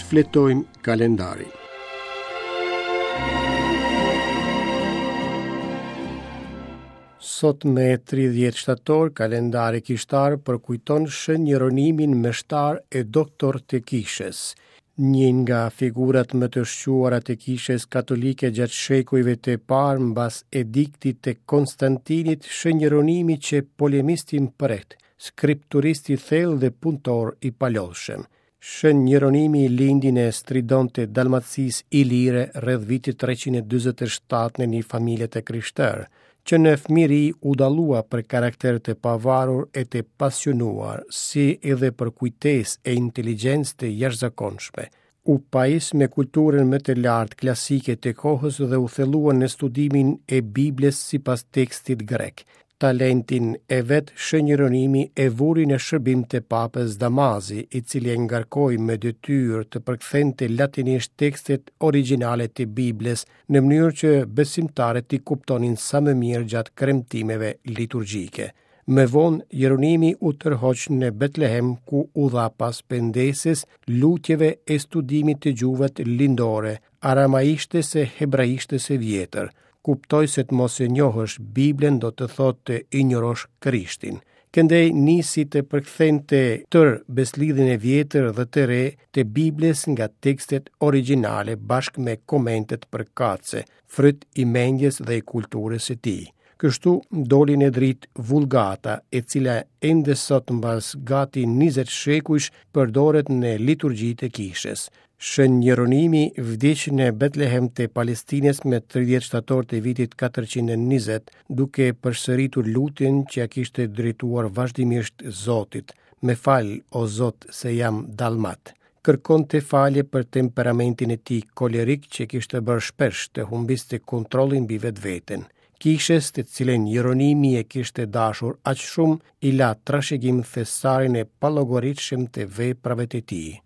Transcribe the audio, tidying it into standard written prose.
Shfletojmë kalendarin. Sot me 30 shtator, kalendari kishtar përkujton Shën Jeronimin meshtar e doktor të kishës. Një nga figurat më të shquara të kishës katolike gjatë shekujve të parë mbas ediktit të Konstantinit, Shën Jeronimi qe polemist i mprehtë, skripturist i thellë dhe punëtor i palodhshëm. Shën Jeronimi lindi në Stridon të Dalmacisë Ilire rreth vitit 347 në një familje të krishterë. Që në fëmijëri u dallua për karakter të pavarur e të pasionuar, si edhe për kujtesë e inteligjencë të jashtëzakonshme. U pajis me kulturën më të lartë klasike të kohës dhe u thellua në studimin e Biblës sipas tekstit grek. Talentin e vet Shën Jeronimi e vuri në shërbim të Papës Damazi, i cili e ngarkoi me detyrë të përkthente latinisht tekstet origjinale të Biblës, në mënyrë që besimtarët t'i kuptonin sa më mirë gjatë kremtimeve liturgjike. Më vonë, Jeronimi u tërhoq në Betlehem ku u dha pas pendesës, lutjeve e studimit të gjuhëve lindore, aramaishtes e hebraishtes së vjetër. Kuptoi se të mos e njohësh Biblën do të thotë të injorosh Krishtin. Këndej nisi të përkthente tërë besëlidhjen e vjetër dhe të re të Biblës nga tekstet origjinale bashkë me komentet përkatëse, fryt i mendjes dhe i kulturës së tij. Kështu doli në dritë Vulgata, e cila ende sot mbas gati 20 shekujsh përdoret në liturgjitë e kishës. Shën Jeronimi vdiq në Betlehem të Palestinës me 30 shtator të vitit 420, duke përsëritur lutjen që ia kishte drejtuar vazhdimisht Zotit, Më fal, o Zot, se jam dalmat. Kërkonte falje për temperamentin e tij kolerik që e kishte bërë shpesh të humbiste kontrollin mbi vetveten. Kishës, të cilën Jeronimi e kishte dashur aq shumë, i la trashëgim thesarin e pallogaritshëm të veprave të tij.